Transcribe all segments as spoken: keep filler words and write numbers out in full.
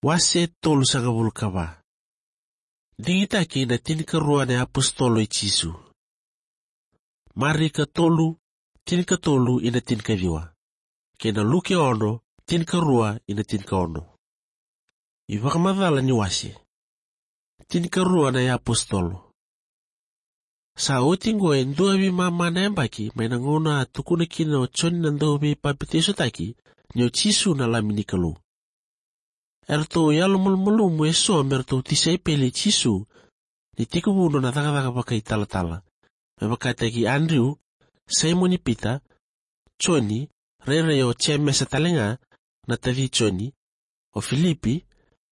Wase tolusagavulu ka va. Digitaki na tinikarua na iapositolo i Jisu. Marika tolu, tinikatolu ina tinikaciwa. Kei na Luke ono, tinikarua ina tinikaono. iVakamacala ni wase. Tinikarua na iapositolo. Sa oti qo e dua veimama na yabaki mai na gauna a tukuna kina o Joni na Dauveipapitaisotaki ni o Jisu na Lami ni Kalou. Eratou yalomalumalumu eso me ratou tisaipeli i Jisu ni tekivu nona cakacaka vakaitalatala, me vakataki Adriu, Saimoni Pita, Joni, rairai o Jemesa talega na taci Joni, o Filipi,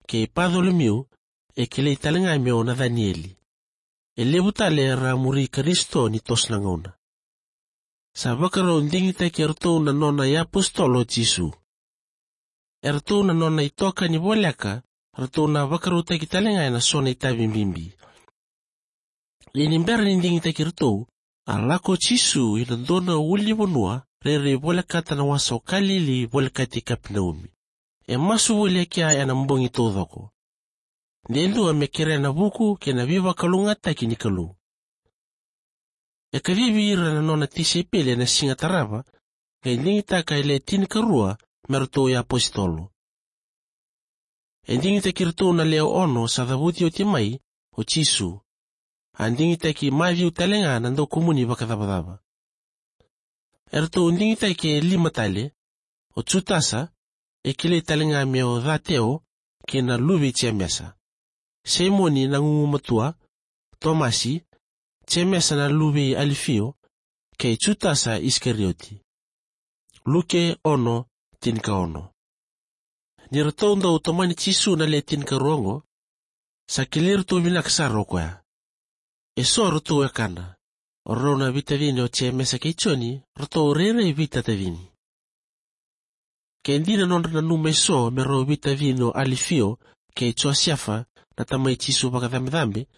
kei Pacolomiu, e kilai talega me o Nacanieli. E levu tale era a muri Karisito ni toso na gauna. Sa vakarau digitaki eratou na nona iapositolo o Jisu. Eratou na nona itokani voleka, ratou na vakarautaki talega ena so na itavi bibi. Ia ni bera ni digitaki iratou, a lako o Jisu ina dua na ulunivanua rairai volekata na wasa o Kalili volekati Kapenaumi. E masu voli e kea ena bogi taucoko. De dua me kerea na vuku kei na veivakalougatataki ni Kalou. E kacivi ira na nona tisaipeli ena siga tarava, qai digitaka e le tinikarua me ratou iapositolo. E digitaki iratou na lewe ono sa cavuti oti mai o Jisu. A digitaki Maciu talega na daukumuni vakacavacava. Eratou digitaki e lima tale, o Jutasa, e kilai talega me o Cateo, kei na luve i Jemesa. Saimoni na gugumatua, Tomasi, Jemesa na luve i Alifio, kei Jutasa Isikarioti. Luke ono, tinikaono. Ni ratou dau tomani Jisu na le tinikarua oqo, sa kilai iratou vinaka sara o koya. Eso ratou wekana, o rau na veitacini o Jemesa kei Joni, ratou rairai veitatacini. Ke dina nodra nanuma eso me rau veitacini o Alifio kei Josefa na tamai Jisu vakacabecabe,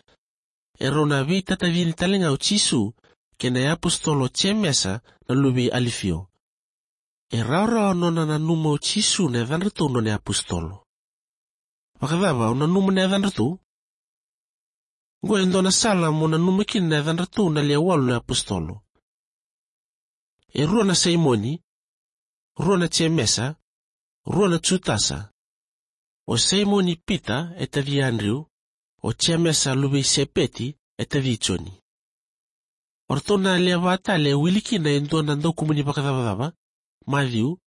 e rau na veitatacini talega o Jisu kei na iapositolo o Jemesa na luve i Alifio. E rawarawa nona nanuma o Jisu na yacadratou nona iapositolo. Vakacava o nanuma na yacadratou? Qo e dua na sala mo nanuma kina na yacadratou na le walu na iapositolo. E rua na Saimoni, rua na Jemesa, rua na Jutasa. O Saimoni Pita e taci Adriu, o Jemesa luve i Sepeti e taci Joni. O ratou na lewe va tale e wili kina e dua na daukumuni vakacavacava, Maciu,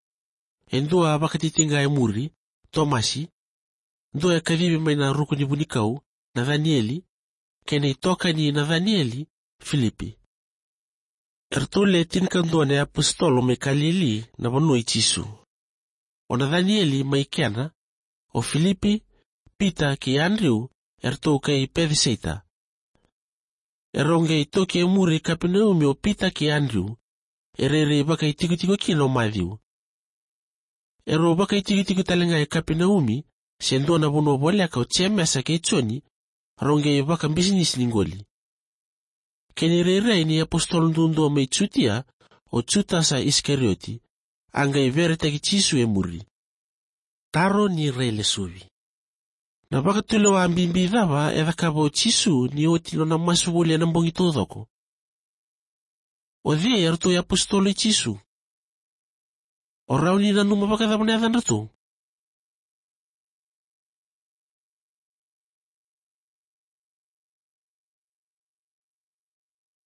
e dua vakatitiqa e muri, Tomasi, dua e kacivi mai na ruku ni vunikau, Nacanieli, kei na itokani i Nacanieli, Filipi. Eratou le tinikadua na iapositolo mai Kalili na vanua i Jisu. O Nacanieli mai Kena, o Filipi, Pita kei Adriu, eratou kai Pecesaita. Erau qai toki e muri Kapenaumi o Pita kei Adriu, e rairai vakaitikotiko kina o Maciu. Erau vakaitikotiko talega e Kapenaumi, se dua na vanua voleka o Jemesa kei Joni, rau qai vakabisinisi ni qoli. Kena irairai ni iapositolo duadua mai Jutia, o Jutasa Isikarioti, a qai veretaki Jisu e muri. Taro ni railesuvi. Na vakatulewa bibi cava e cakava o Jisu ni oti nona masu voli ena bogi taucoko? O cei eratou iapositolo i Jisu? O rawa ni nanuma vakacava na yacadratou?